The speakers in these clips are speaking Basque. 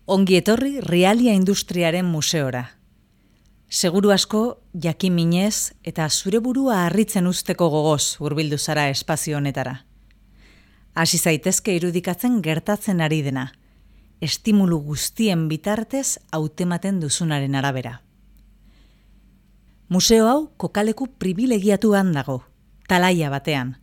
Ongi etorri Realia Industriaren museora. Seguru asko, jakin minez eta zure burua harritzen usteko gogoz hurbildu zara espazio honetara. Hasi zaitezke irudikatzen gertatzen ari dena, estimulu guztien bitartez hautematen duzunaren arabera. Museo hau kokaleku pribilegiatuan dago, talaia batean.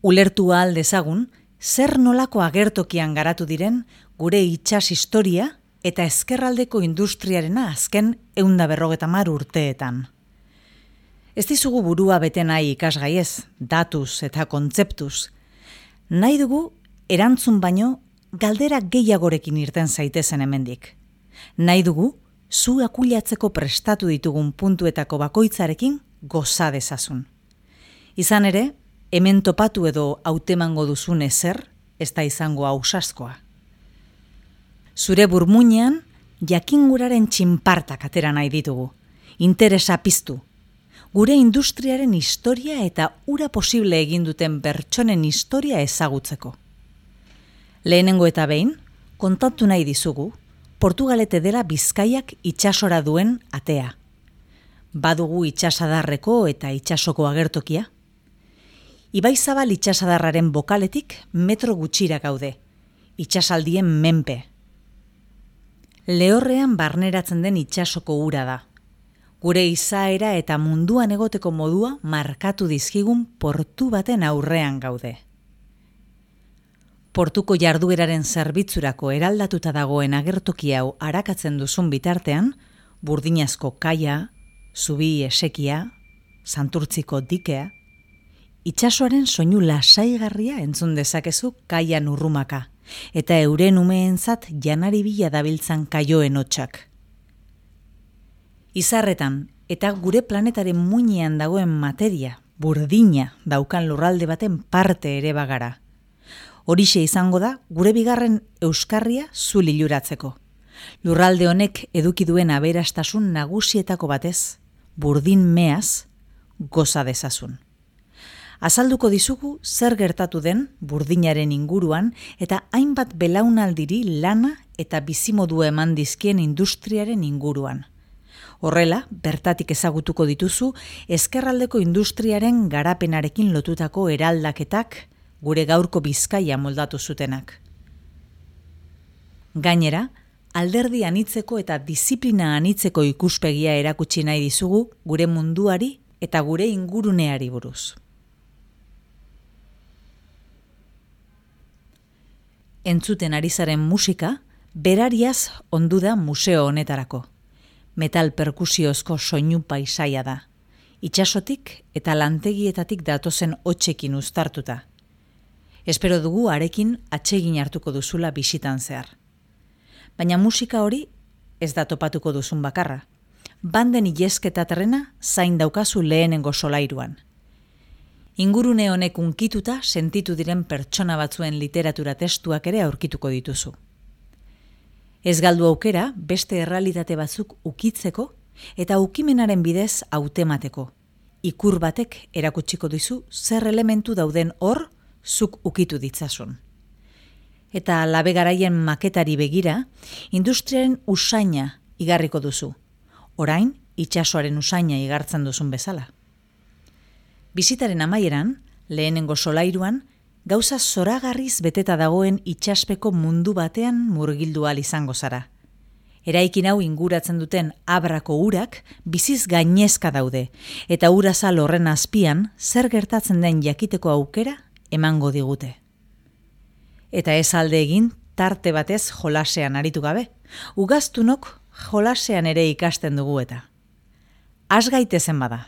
Ulertu ahal dezagun, zer nolako agertokian garatu diren gure itsas historia eta ezkerraldeko industriarena azken 150 urteetan. Ez dizugu burua bete nahi ikasgaiez, datuz eta kontzeptuz. Nahi dugu erantzun baino galdera gehiagorekin irten zaitezen hemendik. Nahi dugu zu akuilatzeko prestatu ditugun puntuetako bakoitzarekin goza dezazun. Izan ere, hemen topatu edo hautemango duzun ezer, ez da izango ausazkoa. Zure burmuinean, jakinguraren txinpartak atera nahi ditugu, interesa piztu. Gure industriaren historia eta ura posible egin duten pertsonen historia ezagutzeko. Lehenengo eta behin, kontatu nahi dizugu, Portugalete dela Bizkaiak itsasora duen atea. Badugu itsasadarreko eta itsasoko agertokia. Ibaizabal itsasadarraren bokaletik metro gutxira gaude, itsasaldien menpe. Lehorrean barneratzen den itsasoko ura da. Gure izaera eta munduan egoteko modua markatu dizkigun portu baten aurrean gaude. Portuko jardueraren zerbitzurako eraldatuta dagoen agertoki hau arakatzen duzun bitartean, burdinazko kaia, zubi esekia, santurtziko dikea, itsasoaren soinu lasaigarria entzun dezakezu kaian urrumaka, eta euren umeentzat janari bila dabiltzan kaioen hotsak. Izarretan eta gure planetaren muinean dagoen materia, burdina daukan lurralde baten parte ere bagara. Horixe izango da gure bigarren euskarria zu liluratzeko. Lurralde honek eduki duen aberastasun nagusietako batez, burdin meaz, goza dezazun. Azalduko dizugu zer gertatu den burdinaren inguruan eta hainbat belaunaldiri lana eta bizimodua eman dizkien industriaren inguruan. Horrela, bertatik ezagutuko dituzu ezkerraldeko industriaren garapenarekin lotutako eraldaketak gure gaurko Bizkaia moldatu zutenak. Gainera, alderdi anitzeko eta diziplina anitzeko ikuspegia erakutsi nahi dizugu gure munduari eta gure inguruneari buruz. Entzuten ari zaren musika, berariaz ondu da museo honetarako. Metal perkusiozko soinu paisaia da. Itsasotik eta lantegietatik datozen hotsekin uztartuta. Espero dugu harekin atsegin hartuko duzula bisitan zehar. Baina musika hori ez da topatuko duzun bakarra. Banden ilesketa trena zain daukazu lehenengo solairuan. Ingurune honek unkituta sentitu diren pertsona batzuen literatura testuak ere aurkituko dituzu. Ez galdu aukera beste errealitate batzuk ukitzeko eta ukimenaren bidez hautemateko. Ikur batek erakutsiko dizu zer elementu dauden hor zuk ukitu ditzasun. Eta labe garaien maketari begira, industriaren usaina igarriko duzu. Orain, itsasoaren usaina igartzen duzun bezala. Bizitaren amaieran, lehenengo solairuan, gauza zoragarriz beteta dagoen itsaspeko mundu batean murgildu ahal izango zara. Eraikin hau inguratzen duten abrako urak biziz gainezka daude, eta urazal horren azpian zer gertatzen den jakiteko aukera emango digute. Eta ez alde egin tarte batez jolasean aritu gabe, ugaztunok jolasean ere ikasten dugu eta. Has gaitezen bada.